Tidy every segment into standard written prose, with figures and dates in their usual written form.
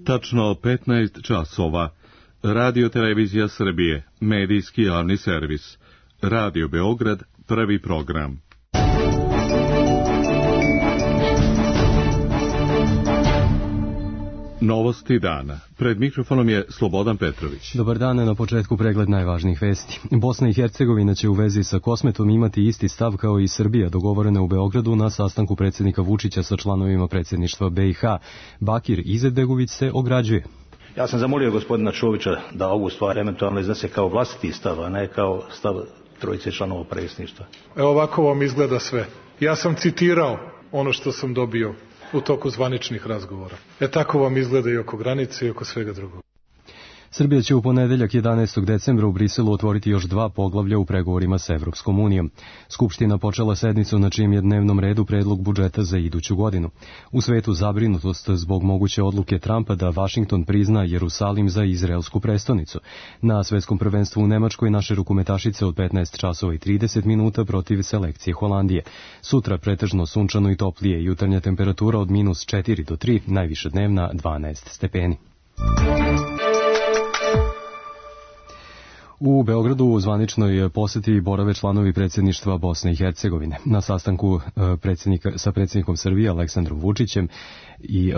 Tačno 15 časova. Radio Televizija Srbije, medijski javni servis. Radio Beograd, prvi program. Novosti dana. Pred mikrofonom je Slobodan Petrović. Dobar dan, na početku pregled najvažnijih vesti. Bosna i Hercegovina će u vezi sa Kosmetom imati isti stav kao i Srbija, dogovorena u Beogradu na sastanku predsjednika Vučića sa članovima predsjedništva BiH. Bakir Izetbegović se ograđuje. Ja sam zamolio gospodina Čovića da ovu stvar eventualno iznese kao vlastiti stav, a ne kao stav trojice članova predsjedništva. Evo ovako vam izgleda sve. Ja sam citirao ono što sam dobio u toku zvaničnih razgovora. Tako vam izgleda i oko granice i oko svega drugog. Srbija će u ponedeljak 11. decembra u Briselu otvoriti još 2 poglavlja u pregovorima sa Evropskom unijom. Skupština počela sednicu na čijem je dnevnom redu predlog budžeta za iduću godinu. U svetu zabrinutost zbog moguće odluke Trumpa da Vašington prizna Jerusalim za izraelsku prestonicu. Na svetskom prvenstvu u Nemačkoj naše rukometašice od 15 časova i 30 minuta protiv selekcije Holandije. Sutra pretežno sunčano i toplije, jutarnja temperatura od -4 do 3, najviša dnevna 12 stepeni. U Beogradu u zvaničnoj poseti borave članovi predsjedništva Bosne i Hercegovine. Na sastanku sa predsjednikom Srbije Aleksandrom Vučićem i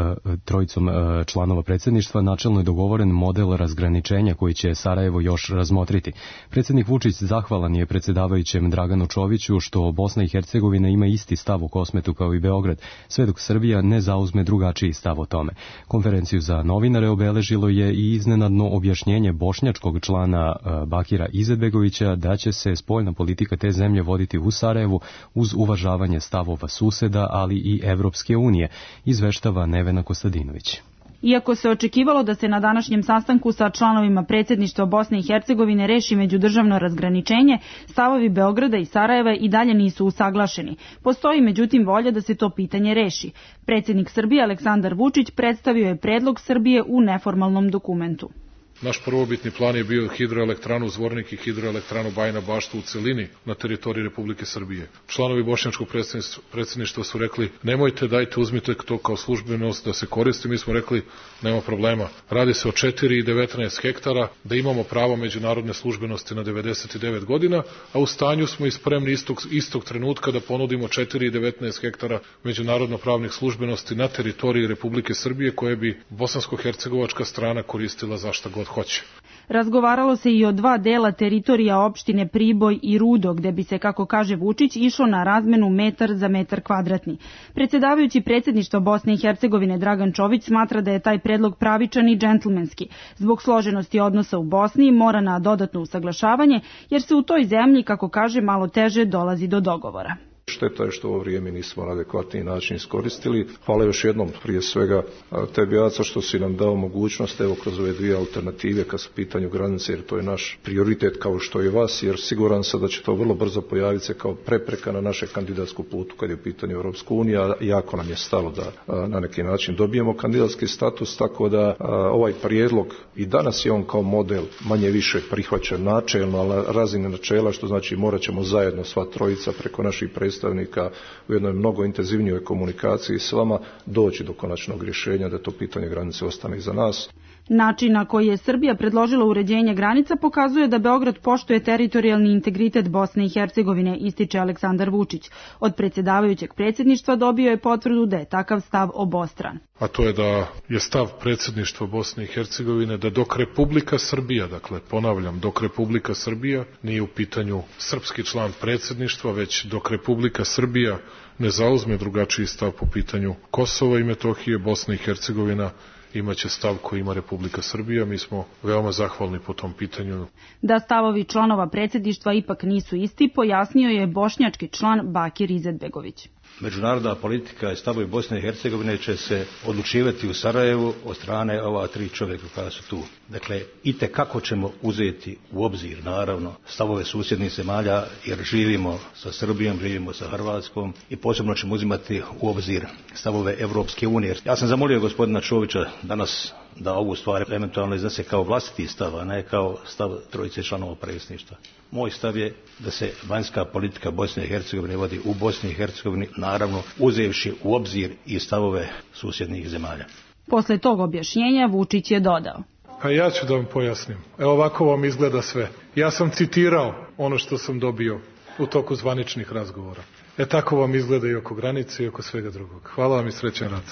trojicom članova predsjedništva načelno je dogovoren model razgraničenja koji će Sarajevo još razmotriti. Predsjednik Vučić zahvalan je predsjedavajućem Draganu Čoviću što Bosna i Hercegovina ima isti stav o Kosmetu kao i Beograd, sve dok Srbija ne zauzme drugačiji stav o tome. Konferenciju za novinare obeležilo je i iznenadno objašnjenje bošnjačkog člana Bakira Izetbegovića da će se spoljna politika te zemlje voditi u Sarajevu uz uvažavanje stavova suseda, ali i Evropske unije, izveštava Nevena Kostadinović. Iako se očekivalo da se na današnjem sastanku sa članovima predsjedništva Bosne i Hercegovine reši međudržavno razgraničenje, stavovi Beograda i Sarajeva i dalje nisu usaglašeni. Postoji međutim volja da se to pitanje reši. Predsjednik Srbije Aleksandar Vučić predstavio je predlog Srbije u neformalnom dokumentu. Naš prvobitni plan je bio hidroelektranu Zvornik i hidroelektranu Bajina Bašta u celini na teritoriji Republike Srbije. Članovi bošnjačkog predsjedništva su rekli nemojte, dajte, uzmite to kao službenost da se koristi. Mi smo rekli nema problema. Radi se o 4 i 19 hektara, da imamo pravo međunarodne službenosti na 99 godina, a u stanju smo i spremni istog trenutka da ponudimo 4 i 19 hektara međunarodno pravnih službenosti na teritoriji Republike Srbije koje bi bosansko-hercegovačka strana koristila za šta god hoće. Razgovaralo se i o 2 dela teritorija opštine Priboj i Rudo, gde bi se, kako kaže Vučić, išlo na razmenu metar za metar kvadratni. Predsjedavajući predsjedništva Bosne i Hercegovine Dragan Čović smatra da je taj predlog pravičan i džentlmenski. Zbog složenosti odnosa u Bosni mora na dodatno usaglašavanje, jer se u toj zemlji, kako kaže, malo teže dolazi do dogovora. Šteta je što ovo vrijeme nismo na adekvatniji način iskoristili. Hvala još jednom prije svega tebi, Aca, što si nam dao mogućnost evo kroz ove 2 alternative kad su pitanju granice, jer to je naš prioritet kao što je vas, jer siguran sam da će to vrlo brzo pojaviti se kao prepreka na naše kandidatsku putu kad je u pitanju Europska unija. Jako nam je stalo da na neki način dobijemo kandidatski status, tako da ovaj prijedlog i danas je on kao model manje više prihvaćen načelno, ali na razini načela, što znači morat ćemo zajedno sva trojica preko naših predstavnika u jednoj mnogo intenzivnijoj komunikaciji s vama doći do konačnog rješenja da to pitanje granice ostane iza nas. Način na koji je Srbija predložila uređenje granica pokazuje da Beograd poštuje teritorijalni integritet Bosne i Hercegovine, ističe Aleksandar Vučić. Od predsjedavajućeg predsjedništva dobio je potvrdu da je takav stav obostran. A to je da je stav predsjedništva Bosne i Hercegovine da dok Republika Srbija, dakle ponavljam, dok Republika Srbija nije u pitanju srpski član predsjedništva, već dok Republika Srbija ne zauzme drugačiji stav po pitanju Kosova i Metohije, Bosna i Hercegovina imaće stav koji ima Republika Srbija. Mi smo veoma zahvalni po tom pitanju. Da stavovi članova predsjedništva ipak nisu isti, pojasnio je bošnjački član Bakir Izetbegović. Međunarodna politika i stavovi Bosne i Hercegovine će se odlučivati u Sarajevu od strane ova 3 čovjeka koja su tu. Dakle, itekako ćemo uzeti u obzir, naravno, stavove susjednih zemalja, jer živimo sa Srbijom, živimo sa Hrvatskom i posebno ćemo uzimati u obzir stavove Evropske unije. Ja sam zamolio gospodina Čovića danas da ovu stvar eventualno iznese kao vlastiti stav, a ne kao stav trojice članova predsjedništva. Moj stav je da se vanjska politika Bosne i Hercegovine vodi u Bosni i Hercegovini, naravno uzevši u obzir i stavove susjednih zemalja. Posle tog objašnjenja Vučić je dodao: A ja ću da vam pojasnim. Evo ovako vam izgleda sve. Ja sam citirao ono što sam dobio u toku zvaničnih razgovora. Tako vam izgleda i oko granice i oko svega drugog. Hvala vam i srećan rad.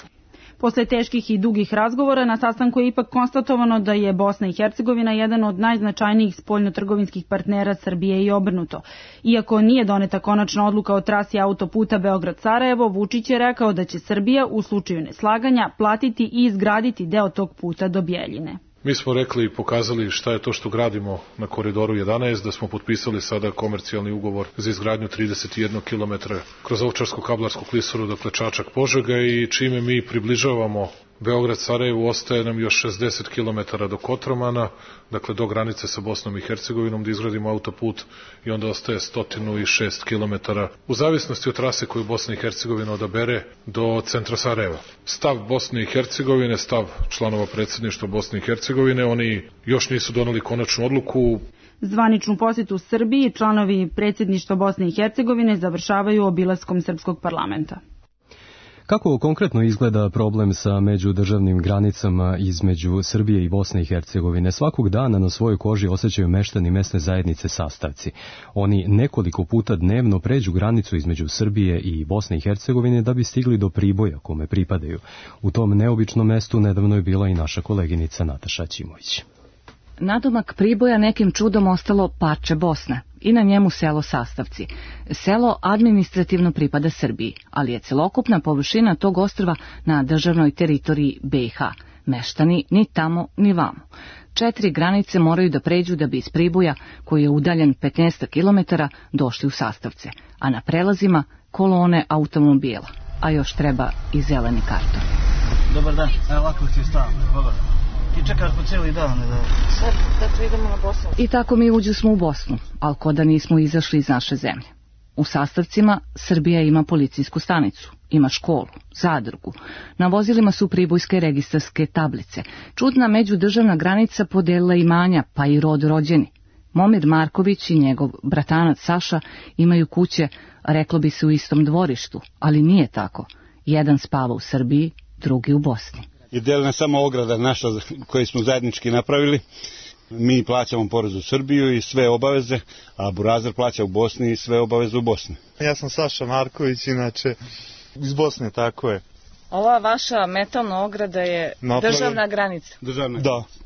Posle teških i dugih razgovora na sastanku je ipak konstatovano da je Bosna i Hercegovina jedan od najznačajnijih spoljnotrgovinskih partnera Srbije i obrnuto. Iako nije doneta konačna odluka o trasi autoputa Beograd-Sarajevo, Vučić je rekao da će Srbija u slučaju neslaganja platiti i izgraditi deo tog puta do Bjeljine. Mi smo rekli i pokazali šta je to što gradimo na Koridoru 11, da smo potpisali sada komercijalni ugovor za izgradnju 31 km kroz Ovčarsko-Kablarsku klisuru, dakle Čačak-Požega, i čime mi približavamo Beograd-Sarajevu, ostaje nam još 60 km do Kotromana, dakle do granice sa Bosnom i Hercegovinom, da izgradimo autoput, i onda ostaje 106 km u zavisnosti od trase koju Bosna i Hercegovina odabere do centra Sarajeva. Stav Bosne i Hercegovine, stav članova predsjedništva Bosne i Hercegovine, oni još nisu doneli konačnu odluku. Zvaničnu posjetu Srbiji članovi predsjedništva Bosne i Hercegovine završavaju obilaskom srpskog parlamenta. Kako konkretno izgleda problem sa međudržavnim granicama između Srbije i Bosne i Hercegovine? Svakog dana na svojoj koži osjećaju meštani mesne zajednice Sastavci. Oni nekoliko puta dnevno pređu granicu između Srbije i Bosne i Hercegovine da bi stigli do Priboja kome pripadaju. U tom neobičnom mestu nedavno je bila i naša koleginica Nataša Ćimović. Nadomak Priboja nekim čudom ostalo parče Bosne i na njemu selo Sastavci. Selo administrativno pripada Srbiji, ali je celokupna površina tog ostrva na državnoj teritoriji BiH. Meštani ni tamo ni vamo. 4 granice moraju da pređu da bi iz Priboja, koji je udaljen 15 km, došli u Sastavce, a na prelazima kolone automobila, a još treba i zeleni karton. Dobar dan, evo ovako ti je stavno, dobar dan. I čekaš po cijeli dan. Sad, dakle, idemo na Bosnu. I tako mi uđusmo u Bosnu, ali ko da nismo izašli iz naše zemlje. U Sastavcima Srbija ima policijsku stanicu, ima školu, zadrugu. Na vozilima su pribojske registarske tablice. Čudna međudržavna granica podelila imanja, pa i rod rođeni. Momir Marković i njegov bratanac Saša imaju kuće, reklo bi se, u istom dvorištu, ali nije tako. Jedan spava u Srbiji, drugi u Bosni. Je delena samo ograda naša koju smo zajednički napravili. Mi plaćamo porez u Srbiju i sve obaveze, a Burazer plaća u Bosni i sve obaveze u Bosni. Ja sam Saša Marković, inače iz Bosne, tako je. Ova vaša metalna ograda je državna granica? Državna.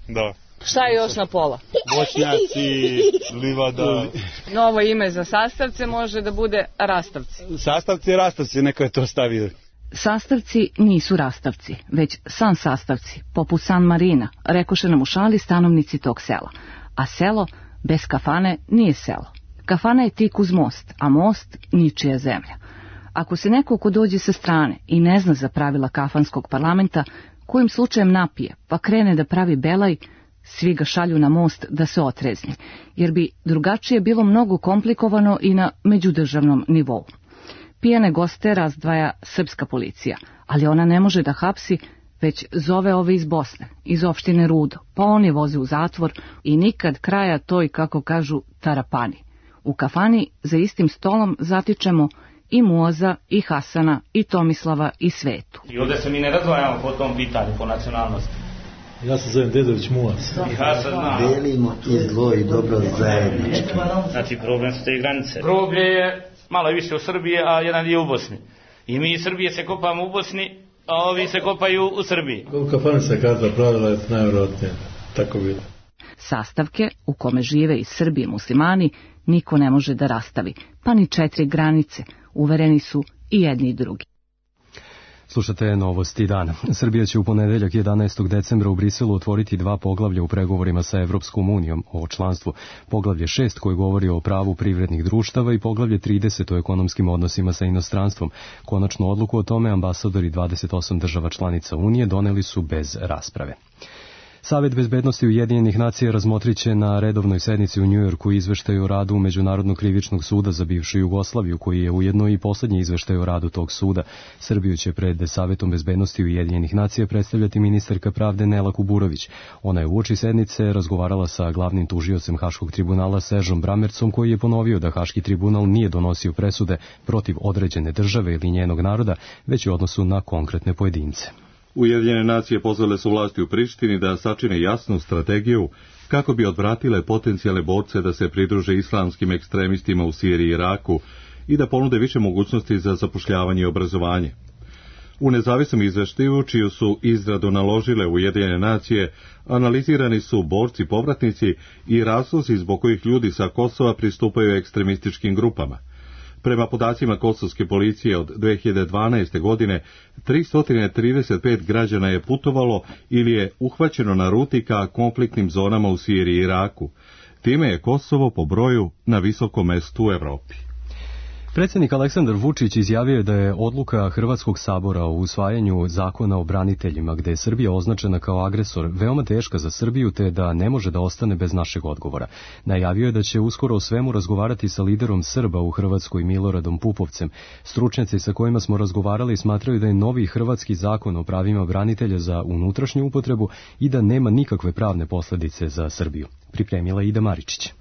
Da. Šta je još na pola? Voćnjaci, livada. Novo ime za Sastavce može da bude Rastavci. Sastavci i Rastavci, neko je to stavio. Sastavci nisu Rastavci, već San Sastavci, poput San Marina, rekoše nam u šali stanovnici tog sela. A selo bez kafane nije selo. Kafana je tik uz most, a most ničija zemlja. Ako se neko ko dođe sa strane i ne zna za pravila kafanskog parlamenta, kojim slučajem napije, pa krene da pravi belaj, svi ga šalju na most da se otrezni, jer bi drugačije bilo mnogo komplikovano i na međudržavnom nivou. Pijane goste razdvaja srpska policija, ali ona ne može da hapsi, već zove ove iz Bosne, iz opštine Rudo, pa oni voze u zatvor i nikad kraja toj, kako kažu, tarapani. U kafani za istim stolom zatičemo i Muaza, i Hasana, i Tomislava, i Svetu. I ovdje se mi ne razdvajamo po tom pitanju, po nacionalnosti. Ja se zovem Dedović Muaz. I Hasan zna. Delimo i zlo i dobro zajednički. Znači problem su te granice. Groblje je malo više u Srbiji, a jedan dio u Bosni. I mi iz Srbije se kopamo u Bosni, a ovi se kopaju u Srbiji. Koliko kafana se karta pravila je najvjerojatnije tako bilo. Sastavke u kome žive iz Srbije muslimani niko ne može da rastavi, pa ni 4 granice, uvereni su i jedni i drugi. Slušate novosti dana. Srbija će u ponedeljak 11. decembra u Briselu otvoriti 2 poglavlja u pregovorima sa Evropskom unijom o članstvu. Poglavlje 6 koje govori o pravu privrednih društava i poglavlje 30 o ekonomskim odnosima sa inostranstvom. Konačnu odluku o tome ambasadori 28 država članica Unije doneli su bez rasprave. Savet bezbednosti Ujedinjenih nacija razmotrit će na redovnoj sednici u Njujorku izveštaj o radu Međunarodnog krivičnog suda za bivšu Jugoslaviju, koji je ujedno i posljednji izveštaj o radu tog suda. Srbiju će pred Savetom bezbednosti Ujedinjenih nacija predstavljati ministarka pravde Nela Kuburović. Ona je uoči sednice razgovarala sa glavnim tužiocem Haškog tribunala Seržom Bramercom, koji je ponovio da Haški tribunal nije donosio presude protiv određene države ili njenog naroda, već u odnosu na konkretne pojedince. Ujedinjene nacije pozvale su vlasti u Prištini da sačine jasnu strategiju kako bi odvratile potencijalne borce da se pridruže islamskim ekstremistima u Siriji i Iraku i da ponude više mogućnosti za zapošljavanje i obrazovanje. U nezavisnom izveštaju, čiju su izradu naložile Ujedinjene nacije, analizirani su borci povratnici i razlozi zbog kojih ljudi sa Kosova pristupaju ekstremističkim grupama. Prema podacima kosovske policije od 2012. godine, 335 građana je putovalo ili je uhvaćeno na ruti ka konfliktnim zonama u Siriji i Iraku. Time je Kosovo po broju na visokom mestu u Evropi. Predsjednik Aleksandar Vučić izjavio je da je odluka Hrvatskog sabora o usvajanju zakona o braniteljima, gde je Srbija označena kao agresor, veoma teška za Srbiju, te da ne može da ostane bez našeg odgovora. Najavio je da će uskoro o svemu razgovarati sa liderom Srba u Hrvatskoj Miloradom Pupovcem. Stručnjaci sa kojima smo razgovarali smatraju da je novi hrvatski zakon o pravima branitelja za unutrašnju upotrebu i da nema nikakve pravne posljedice za Srbiju. Pripremila Ida Maričić.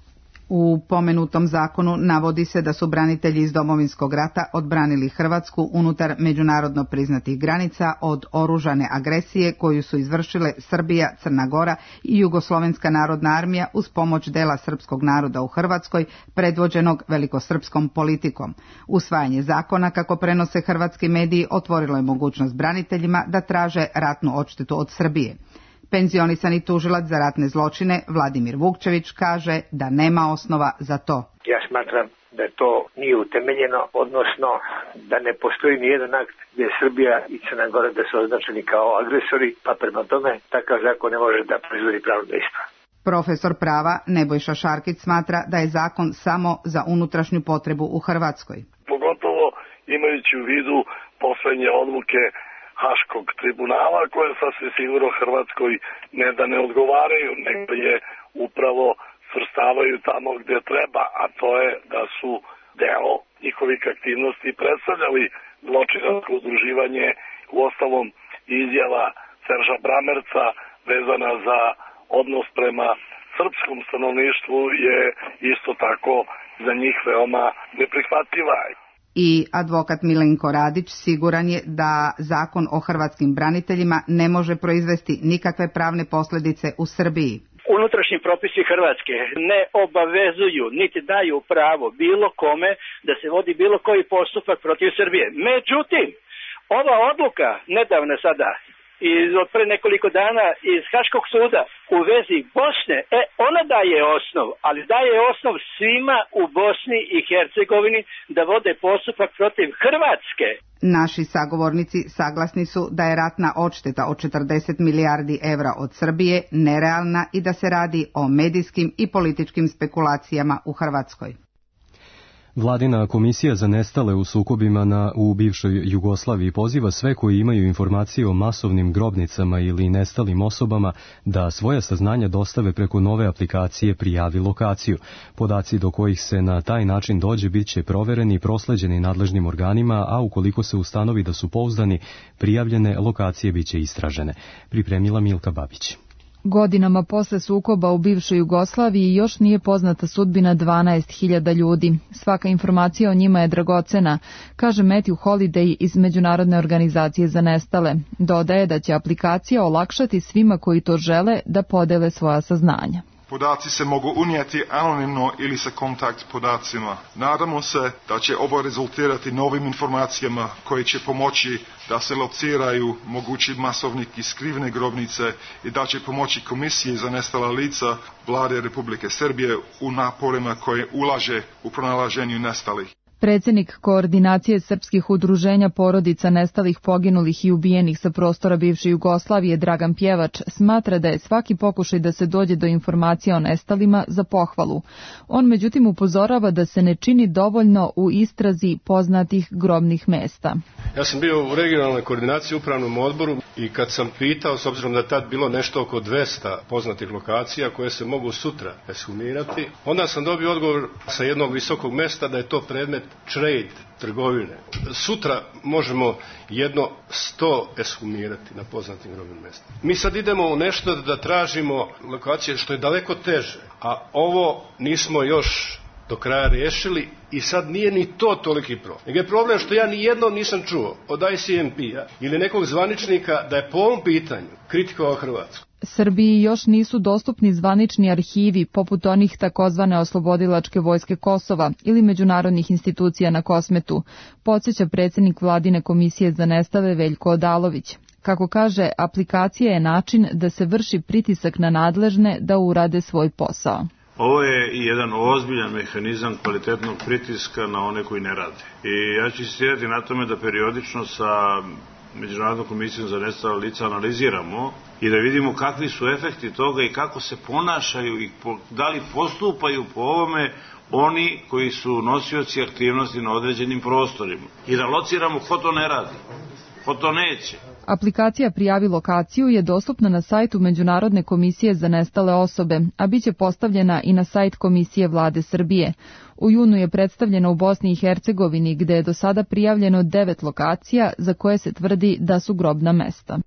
U pomenutom zakonu navodi se da su branitelji iz Domovinskog rata odbranili Hrvatsku unutar međunarodno priznatih granica od oružane agresije koju su izvršile Srbija, Crna Gora i Jugoslovenska narodna armija uz pomoć dela srpskog naroda u Hrvatskoj, predvođenog velikosrpskom politikom. Usvajanje zakona, kako prenose hrvatski mediji, otvorilo je mogućnost braniteljima da traže ratnu odštetu od Srbije. Penzionisani tužilac za ratne zločine Vladimir Vukčević kaže da nema osnova za to. Ja smatram da to nije utemeljeno, odnosno da ne postoji nijedan akt gdje Srbija i Crna Gora da su označeni kao agresori, pa prema tome takav zakon ne može da proizvodi pravno dejstvo. Profesor prava Nebojša Šarkić smatra da je zakon samo za unutrašnju potrebu u Hrvatskoj. Pogotovo imajući u vidu poslednje odluke Haškog tribunala, koje sasvim sigurno Hrvatskoj ne da ne odgovaraju, nego je upravo svrstavaju tamo gdje treba, a to je da su deo njihovih aktivnosti predstavljali zločinačko udruživanje. U ostalom izjava Serža Bramerca vezana za odnos prema srpskom stanovništvu je isto tako za njih veoma neprihvatljiva. I advokat Milenko Radić siguran je da zakon o hrvatskim braniteljima ne može proizvesti nikakve pravne posljedice u Srbiji. Unutrašnji propisi Hrvatske ne obavezuju niti daju pravo bilo kome da se vodi bilo koji postupak protiv Srbije. Međutim, ova odluka nedavno sada od pre nekoliko dana iz Haškog suda u vezi Bosne, ona daje osnov, ali daje osnov svima u Bosni i Hercegovini da vode postupak protiv Hrvatske. Naši sagovornici saglasni su da je ratna odšteta od 40 milijardi evra od Srbije nerealna i da se radi o medijskim i političkim spekulacijama u Hrvatskoj. Vladina komisija za nestale u sukobima u bivšoj Jugoslaviji poziva sve koji imaju informacije o masovnim grobnicama ili nestalim osobama da svoja saznanja dostave preko nove aplikacije Prijavi lokaciju. Podaci do kojih se na taj način dođe bit će provereni i prosleđeni nadležnim organima, a ukoliko se ustanovi da su pouzdani, prijavljene lokacije bit će istražene. Pripremila Milka Babić. Godinama posle sukoba u bivšoj Jugoslaviji još nije poznata sudbina 12.000 ljudi. Svaka informacija o njima je dragocena, kaže Matthew Holiday iz Međunarodne organizacije za nestale. Dodaje da će aplikacija olakšati svima koji to žele da podele svoja saznanja. Podaci se mogu unijeti anonimno ili sa kontakt podacima. Nadamo se da će ovo rezultirati novim informacijama koje će pomoći da se lociraju mogući masovni i skrivne grobnice i da će pomoći Komisiji za nestala lica Vlade Republike Srbije u naporima koje ulaže u pronalaženju nestalih. Predsjednik Koordinacije srpskih udruženja porodica nestalih, poginulih i ubijenih sa prostora bivše Jugoslavije Dragan Pjevač smatra da je svaki pokušaj da se dođe do informacija o nestalima za pohvalu. On međutim upozorava da se ne čini dovoljno u istrazi poznatih grobnih mesta. Ja sam bio u regionalnoj koordinaciji u upravnom odboru i kad sam pitao, s obzirom da je tad bilo nešto oko 200 poznatih lokacija koje se mogu sutra ekshumirati, onda sam dobio odgovor sa jednog visokog mesta da je to predmet trade, trgovine. Sutra možemo 100 ekshumirati na poznatim grobnim mestima. Mi sad idemo u nešto da tražimo lokacije što je daleko teže, a ovo nismo još do kraja riješili i sad nije ni to toliki problem. Nego je problem što ja ni jednom nisam čuo od ICMP-a ili nekog zvaničnika da je po ovom pitanju kritikovao Hrvatsku. Srbiji još nisu dostupni zvanični arhivi poput onih takozvane oslobodilačke vojske Kosova ili međunarodnih institucija na Kosmetu, podsjeća predsjednik Vladine komisije za nestale Veljko Odalović. Kako kaže, aplikacija je način da se vrši pritisak na nadležne da urade svoj posao. Ovo je i jedan ozbiljan mehanizam kvalitetnog pritiska na one koji ne rade. I ja ću insistirati na tome da periodično sa Međunarodnom komisijom za nestala lica analiziramo i da vidimo kakvi su efekti toga i kako se ponašaju i da li postupaju po ovome oni koji su nosioci aktivnosti na određenim prostorima. I da lociramo ko to ne radi, ko to neće. Aplikacija Prijavi lokaciju je dostupna na sajtu Međunarodne komisije za nestale osobe, a bit će postavljena i na sajt Komisije Vlade Srbije. U junu je predstavljena u Bosni i Hercegovini, gde je do sada prijavljeno 9 lokacija za koje se tvrdi da su grobna mesta.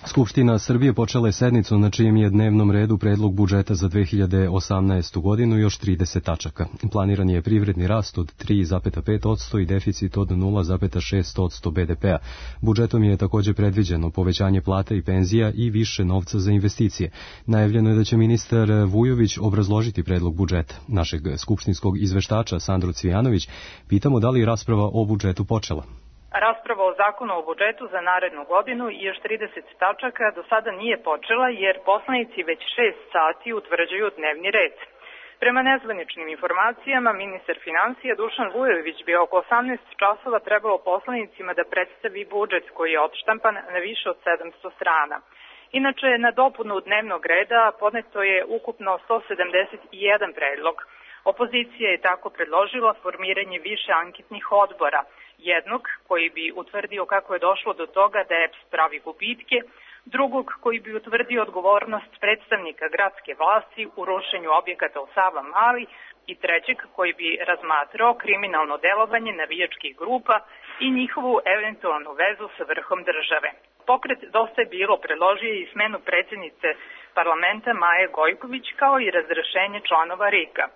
Skupština Srbije počela je sednicu na čijem je dnevnom redu predlog budžeta za 2018. godinu još 30 tačaka. Planiran je privredni rast od 3,5% i deficit od 0,6% BDP-a. Budžetom je također predviđeno povećanje plata i penzija i više novca za investicije. Najavljeno je da će ministar Vujović obrazložiti predlog budžeta. Našeg skupštinskog izveštača Sandru Cvijanović pitamo da li je rasprava o budžetu počela. Rasprava o zakonu o budžetu za narednu godinu i još 30 tačaka do sada nije počela jer poslanici već 6 sati utvrđuju dnevni red. Prema nezvaničnim informacijama, ministar financija Dušan Vujović bi oko 18 časova trebalo poslanicima da predstavi budžet koji je odštampan na više od 700 strana. Inače, na dopunu dnevnog reda podneto je ukupno 171 predlog. Opozicija je tako predložila formiranje više anketnih odbora, jednog koji bi utvrdio kako je došlo do toga da EPS pravi gubitke, drugog koji bi utvrdio odgovornost predstavnika gradske vlasti u rušenju objekata u Savamali i trećeg koji bi razmatrao kriminalno delovanje navijačkih grupa i njihovu eventualnu vezu sa vrhom države. Pokret Dosta je bilo predložio i smenu predsjednice parlamenta Maje Gojković kao i razrešenje članova RIK-a.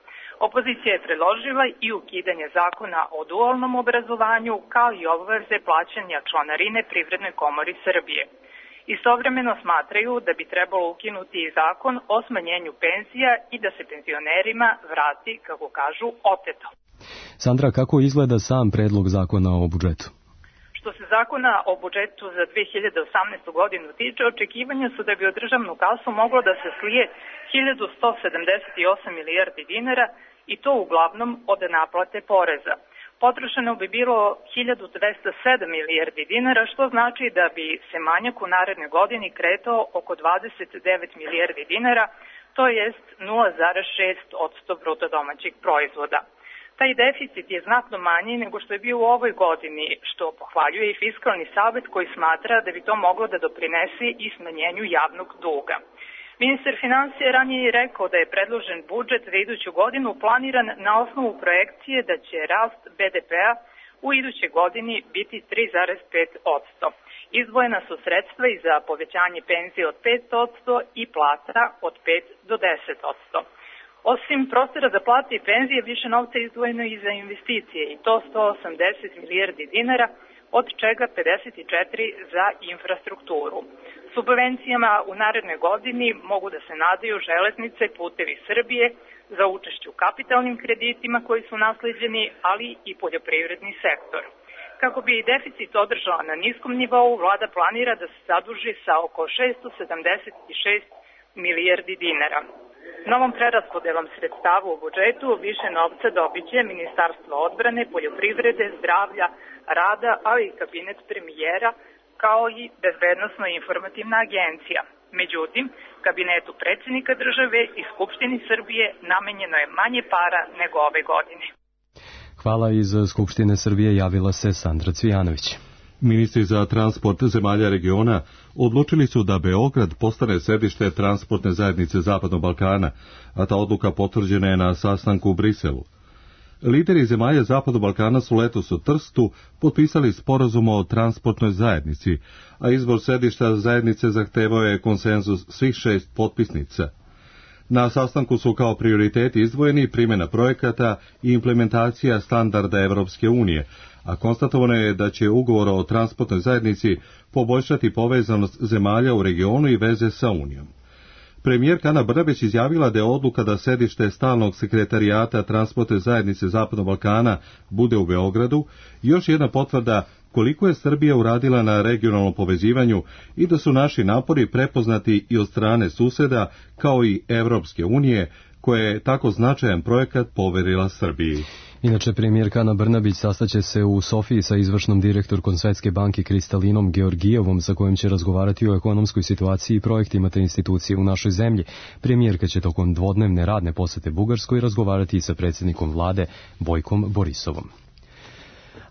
Opozicija je predložila i ukidanje zakona o dualnom obrazovanju kao i obaveze plaćanja članarine Privrednoj komori Srbije. Istovremeno smatraju da bi trebalo ukinuti i zakon o smanjenju penzija i da se penzionerima vrati, kako kažu, oteto. Sandra, kako izgleda sam predlog zakona o budžetu? Što se zakona o budžetu za 2018. godinu tiče, očekivanja su da bi u državnu kasu moglo da se slije 1178 milijardi dinara i to uglavnom od naplate poreza. Potrošeno bi bilo 1207 milijardi dinara, što znači da bi se manjak u narednoj godini kretao oko 29 milijardi dinara, to jest 0,6% bruto domaćeg proizvoda. Taj deficit je znatno manji nego što je bio u ovoj godini, što pohvaljuje i Fiskalni savet koji smatra da bi to moglo da doprinese i smanjenju javnog duga. Ministar financija ranije je rekao da je predložen budžet za iduću godinu planiran na osnovu projekcije da će rast BDP-a u idućoj godini biti 3,5%. Izdvojena su sredstva i za povećanje penzije od 5% i plata od 5 do 10%. Osim prostora za plate i penzije, više novca izdvojeno i za investicije i to 180 milijardi dinara, od čega 54 za infrastrukturu. Subvencijama u narednoj godini mogu da se nadaju železnice, putevi Srbije za učešće u kapitalnim kreditima koji su nasleđeni, ali i poljoprivredni sektor. Kako bi deficit održala na niskom nivou, vlada planira da se zaduži sa oko 676 milijardi dinara. Novom preraspodelom sredstava u budžetu više novca dobiće Ministarstvo odbrane, poljoprivrede, zdravlja, rada, ali i kabinet premijera, kao i Bezbednosno-informativna agencija. Međutim, kabinetu predsjednika države i Skupštini Srbije namenjeno je manje para nego ove godine. Hvala, iz Skupštine Srbije javila se Sandra Cvijanović. Ministri za transport zemalja regiona odlučili su da Beograd postane središte transportne zajednice Zapadnog Balkana, a ta odluka potvrđena je na sastanku u Briselu. Lideri zemalja Zapadnog Balkana su letos u Trstu potpisali sporazum o transportnoj zajednici, a izbor središta zajednice zahtevao je konsenzus svih 6 potpisnica. Na sastanku su kao prioriteti izdvojeni primjena projekata i implementacija standarda Evropske unije, a konstatovano je da će ugovor o transportnoj zajednici poboljšati povezanost zemalja u regionu i veze sa Unijom. Premijerka Ana Brnabić izjavila da je odluka da sedište stalnog sekretarijata transportne zajednice Zapadnog Balkana bude u Beogradu još jedna potvrda koliko je Srbija uradila na regionalnom povezivanju i da su naši napori prepoznati i od strane suseda kao i Evropske unije, koja je tako značajan projekat poverila Srbiji. Inače, premijerka Ana Brnabić sastaće se u Sofiji sa izvršnom direktorkom Svetske banke Kristalinom Georgijevom, sa kojim će razgovarati o ekonomskoj situaciji i projektima te institucije u našoj zemlji. Premijerka će tokom dvodnevne radne posete Bugarskoj razgovarati i sa predsjednikom vlade Bojkom Borisovom.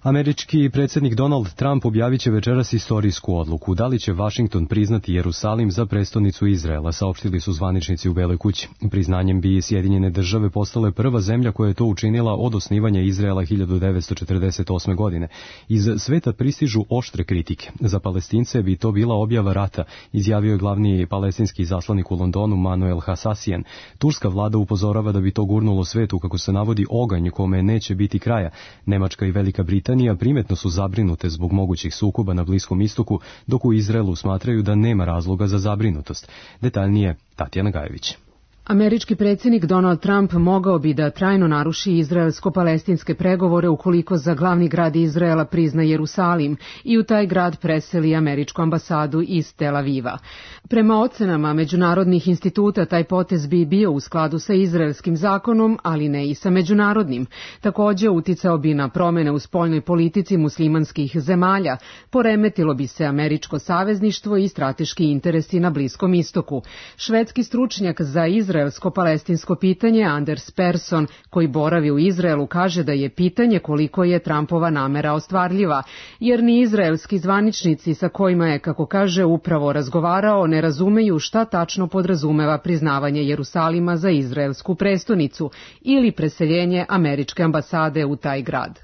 Američki predsjednik Donald Trump objavit će večeras istorijsku odluku. Da li će Vašington priznati Jerusalim za prestonicu Izraela, saopštili su zvaničnici u Beloj kući. Priznanjem bi Sjedinjene države postale prva zemlja koja je to učinila od osnivanja Izraela 1948. godine. Iz sveta pristižu oštre kritike. Za Palestince bi to bila objava rata, izjavio je glavni palestinski izaslanik u Londonu Manuel Hasasijan. Turska vlada upozorava da bi to gurnulo svetu, kako se navodi, oganj kome neće biti kraja. Nemačka i Velika Britanija primetno su zabrinute zbog mogućih sukoba na Bliskom istoku, dok u Izraelu smatraju da nema razloga za zabrinutost. Detaljnije Tatjana Gajević. Američki predsjednik Donald Trump mogao bi da trajno naruši izraelsko-palestinske pregovore ukoliko za glavni grad Izraela prizna Jerusalim i u taj grad preseli američku ambasadu iz Tel Aviva. Prema ocenama međunarodnih instituta, taj potez bi bio u skladu sa izraelskim zakonom, ali ne i sa međunarodnim. Također uticao bi na promjene u spoljnoj politici muslimanskih zemalja, poremetilo bi se američko savezništvo i strateški interesi na Bliskom istoku. Švedski stručnjak za izraelsko-palestinsko pitanje Anders Persson, koji boravi u Izraelu, kaže da je pitanje koliko je Trumpova namera ostvarljiva, jer ni izraelski zvaničnici sa kojima je, kako kaže, upravo razgovarao, ne razumeju šta tačno podrazumeva priznavanje Jerusalima za izraelsku prestonicu ili preseljenje američke ambasade u taj grad.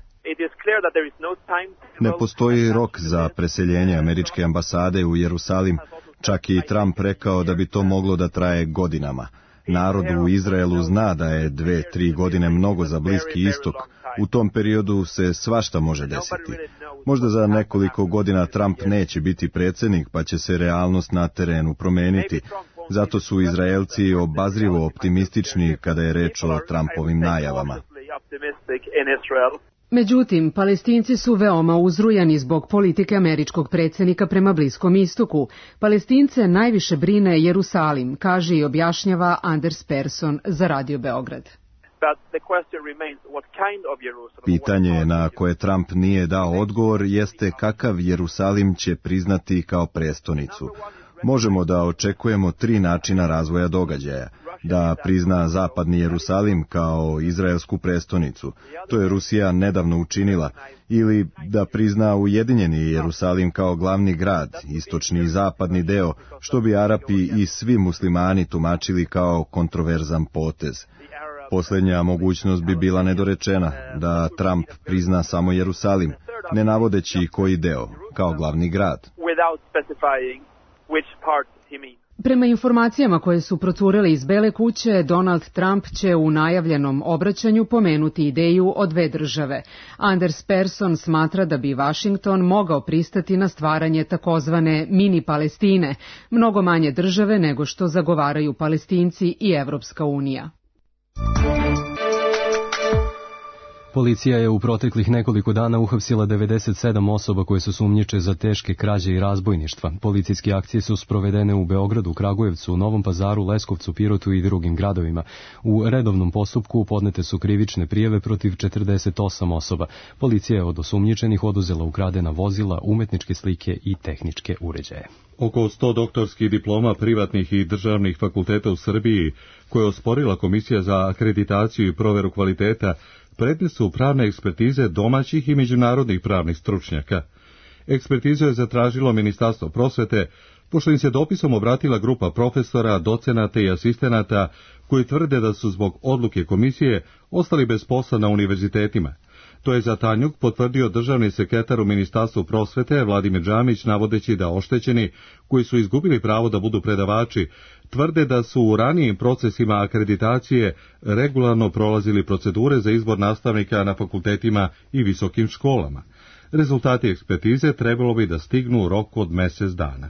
Ne postoji rok za preseljenje američke ambasade u Jerusalim, čak i Trump rekao da bi to moglo da traje godinama. Narod u Izraelu zna da je 2-3 godine mnogo za Bliski istok. U tom periodu se svašta može desiti. Možda za nekoliko godina Trump neće biti predsjednik, pa će se realnost na terenu promeniti. Zato su Izraelci obazrivo optimistični kada je reč o Trumpovim najavama. Međutim, Palestinci su veoma uzrujani zbog politike američkog predsjednika prema Bliskom istoku. Palestince najviše brine Jerusalim, kaže i objašnjava Anders Persson za Radio Beograd. Pitanje na koje Trump nije dao odgovor jeste kakav Jerusalim će priznati kao prestonicu. Možemo da očekujemo 3 načina razvoja događaja. Da prizna zapadni Jerusalim kao izraelsku prestonicu, to je Rusija nedavno učinila, ili da prizna ujedinjeni Jerusalim kao glavni grad, istočni i zapadni deo, što bi Arapi i svi muslimani tumačili kao kontroverzan potez. Posljednja mogućnost bi bila nedorečena, da Trump prizna samo Jerusalim, ne navodeći koji deo, kao glavni grad. Prema informacijama koje su procurele iz Bele kuće, Donald Trump će u najavljenom obraćanju pomenuti ideju o 2 države. Anders Persson smatra da bi Washington mogao pristati na stvaranje takozvane mini Palestine, mnogo manje države nego što zagovaraju Palestinci i Evropska unija. Policija je u proteklih nekoliko dana uhapsila 97 osoba koje su sumnjiče za teške krađe i razbojništva. Policijske akcije su sprovedene u Beogradu, Kragujevcu, Novom Pazaru, Leskovcu, Pirotu i drugim gradovima. U redovnom postupku podnete su krivične prijave protiv 48 osoba. Policija je od osumnjičenih oduzela ukradena vozila, umetničke slike i tehničke uređaje. Oko 100 doktorskih diploma privatnih i državnih fakulteta u Srbiji, koje je osporila Komisija za akreditaciju i proveru kvaliteta, predmet su pravne ekspertize domaćih i međunarodnih pravnih stručnjaka. Ekspertizu je zatražilo Ministarstvo prosvete, pošto im se dopisom obratila grupa profesora, docenata i asistenata koji tvrde da su zbog odluke komisije ostali bez posla na univerzitetima. To je za Tanjuk potvrdio državni sekretar u Ministarstvu prosvete Vladimir Džamić, navodeći da oštećeni koji su izgubili pravo da budu predavači tvrde da su u ranijim procesima akreditacije regularno prolazili procedure za izbor nastavnika na fakultetima i visokim školama. Rezultati ekspertize trebalo bi da stignu u roku od mjesec dana.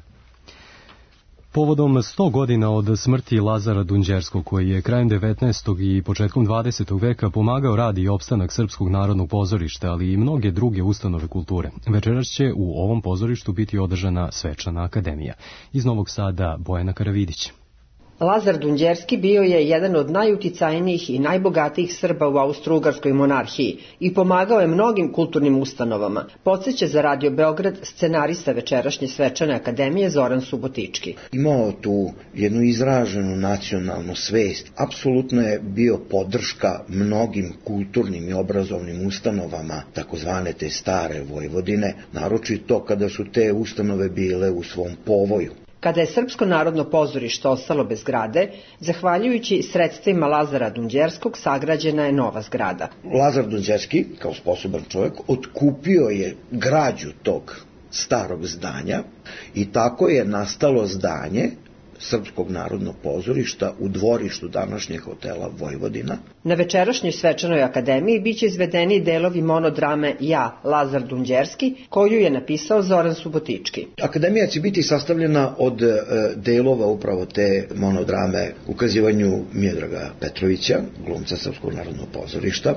Povodom 100 godina od smrti Lazara Dunđerskog, koji je krajem 19. i početkom 20. veka pomagao rad i opstanak Srpskog narodnog pozorišta, ali i mnoge druge ustanove kulture, večeras će u ovom pozorištu biti održana svečana akademija. Iz Novog Sada Bojana Karavidić. Lazar Dunđerski bio je jedan od najuticajnijih i najbogatijih Srba u Austro-Ugarskoj monarhiji i pomagao je mnogim kulturnim ustanovama. Podseća za Radio Beograd scenarista večerašnje svečane akademije Zoran Subotički. Imao tu jednu izraženu nacionalnu svest. Apsolutno je bio podrška mnogim kulturnim i obrazovnim ustanovama, takozvane te stare Vojvodine, naročito kada su te ustanove bile u svom povoju. Kada je Srpsko narodno pozorište ostalo bez zgrade, zahvaljujući sredstvima Lazara Dunđerskog sagrađena je nova zgrada. Lazar Dunđerski, kao sposoban čovjek, otkupio je građu tog starog zdanja i tako je nastalo zdanje Srpskog narodnog pozorišta u dvorištu današnjeg hotela Vojvodina. Na večerašnjoj svečanoj akademiji biće izvedeni delovi monodrame Ja, Lazar Dunđerski, koju je napisao Zoran Subotički. Akademija će biti sastavljena od delova upravo te monodrame ukazivanju Miodraga Petrovića, glumca Srpskog narodnog pozorišta.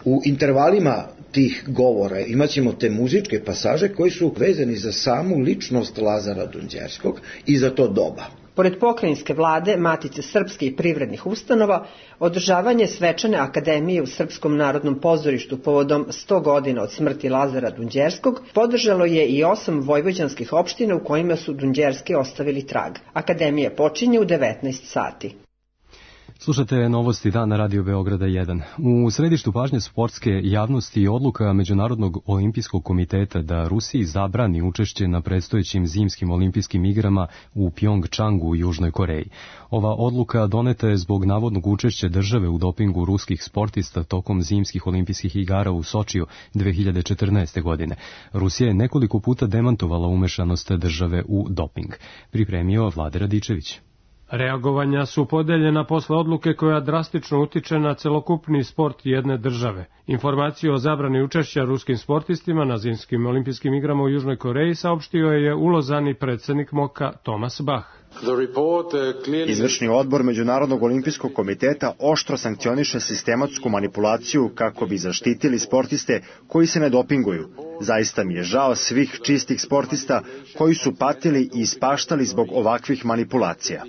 U intervalima tih govora imaćemo te muzičke pasaže koji su vezani za samu ličnost Lazara Dunđerskog i za to doba. Pored pokrajinske vlade, Matice srpske i privrednih ustanova, održavanje svečane akademije u Srpskom narodnom pozorištu povodom 100 godina od smrti Lazara Dunđerskog podržalo je i 8 vojvođanskih opština u kojima su Dunđerski ostavili trag. Akademija počinje u 19 sati. Slušate novosti dana Radio Beograda 1. U središtu pažnje sportske javnosti odluka Međunarodnog olimpijskog komiteta da Rusiji zabrani učešće na predstojećim zimskim olimpijskim igrama u Pjongčangu u Južnoj Koreji. Ova odluka doneta je zbog navodnog učešća države u dopingu ruskih sportista tokom zimskih olimpijskih igara u Sočiju 2014. godine. Rusija je nekoliko puta demantovala umešanost države u doping. Pripremio Vlade Radičević. Reagovanja su podeljena posle odluke koja drastično utiče na celokupni sport jedne države. Informaciju o zabrani učešća ruskim sportistima na zimskim olimpijskim igrama u Južnoj Koreji saopštio je u Lozani predsjednik MOKA Thomas Bach. Izvršni odbor Međunarodnog olimpijskog komiteta oštro sankcioniše sistematsku manipulaciju kako bi zaštitili sportiste koji se ne dopinguju. Zaista mi je žao svih čistih sportista koji su patili i ispaštali zbog ovakvih manipulacija.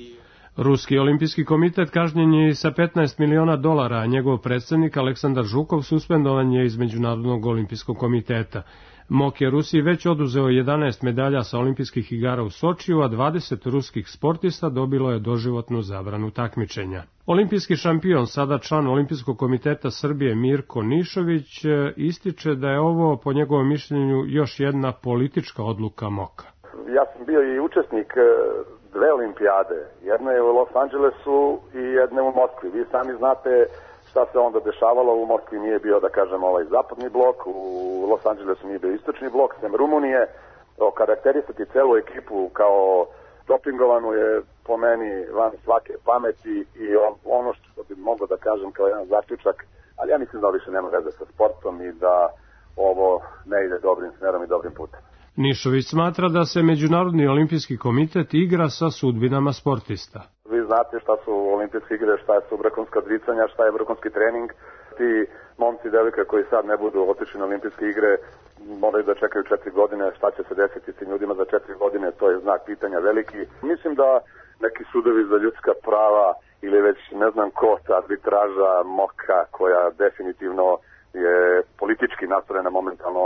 Ruski olimpijski komitet kažnjen je sa $15 miliona, a njegov predsjednik Aleksandar Žukov suspendovan je iz Međunarodnog olimpijskog komiteta. MOK je Rusiji već oduzeo 11 medalja sa olimpijskih igara u Sočiju, a 20 ruskih sportista dobilo je doživotnu zabranu takmičenja. Olimpijski šampion, sada član Olimpijskog komiteta Srbije Mirko Nišović, ističe da je ovo, po njegovom mišljenju, još jedna politička odluka MOK-a. Ja sam bio i učesnik dve olimpijade. Jedna je u Los Angelesu i jedna u Moskvi. Vi sami znate šta se onda dešavalo. U Moskvi nije bio, da kažem, ovaj zapadni blok, u Los Angelesu nije bio istočni blok, sem Rumunije. Okarakterisati celu ekipu kao dopingovanu je po meni van svake pameti i ono što bi mogao da kažem kao jedan zaključak, ali ja mislim da više nema veze sa sportom i da ovo ne ide dobrim smerom i dobrim putem. Nišović smatra da se Međunarodni olimpijski komitet igra sa sudbinama sportista. Vi znate šta su olimpijske igre, šta su vrhunska odricanja, šta je vrhunski trening. Ti momci i devojke koji sad ne budu otišli na olimpijske igre moraju da čekaju 4 godine. Šta će se desiti s tim ljudima za 4 godine, to je znak pitanja veliki. Mislim da neki sudovi za ljudska prava ili već ne znam ko, arbitraža MOKA koja definitivno je politički nastrojena momentalno,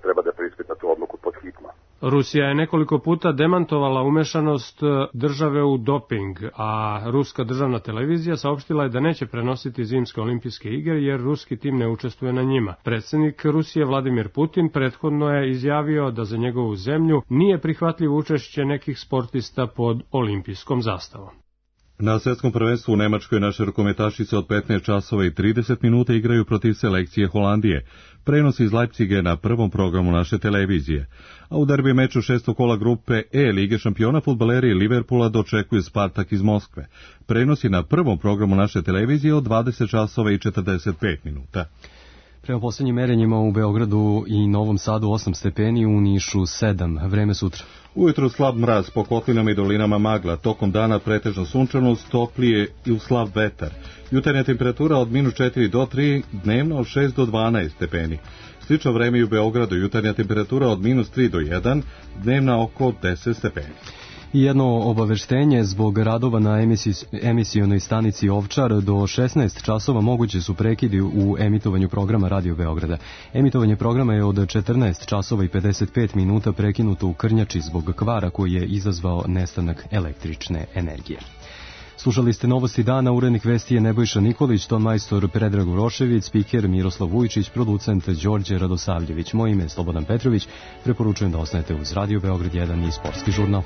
treba da preispita tu odluku pod hitno. Rusija je nekoliko puta demantovala umešanost države u doping, a ruska državna televizija saopštila je da neće prenositi zimske olimpijske igre jer ruski tim ne učestvuje na njima. Predsjednik Rusije Vladimir Putin prethodno je izjavio da za njegovu zemlju nije prihvatljivo učešće nekih sportista pod olimpijskom zastavom. Na svjetskom prvenstvu u Nemačkoj naše rukometašice od 15 časova i 30 minuta igraju protiv selekcije Holandije. prenosi iz Leipziga na prvom programu naše televizije. A u derbi meču 6. kola grupe E Lige šampiona fudbaleri Liverpoola dočekuju Spartak iz Moskve. Prenosi na prvom programu naše televizije od 20 časova i 45 minuta. Prema poslednjim merenjima u Beogradu i Novom Sadu 8 stepeni, u Nišu 7. Vreme sutra. Ujutru slab mraz, po kotlinama i dolinama magla, tokom dana pretežno sunčanost, toplije i u slab vetar. Jutarnja temperatura od -4 do 3, dnevno od 6 do 12 stepeni. Slično vreme i u Beogradu, jutarnja temperatura od -3 do 1, dnevna oko 10 stepeni. I jedno obaveštenje, zbog radova na emisionoj stanici Ovčar do 16 časova moguće su prekidi u emitovanju programa Radio Beograda. Emitovanje programa je od 14 časova i 55 minuta prekinuto u Krnjači zbog kvara koji je izazvao nestanak električne energije. Slušali ste novosti dana, urednik vesti je Nebojša Nikolić, ton majstor Predrag Urošević, spiker Miroslav Vujičić, producent Đorđe Radosavljević. Moje ime je Slobodan Petrović, preporučujem da ostanete uz Radio Beograd 1 i Sportski žurnal.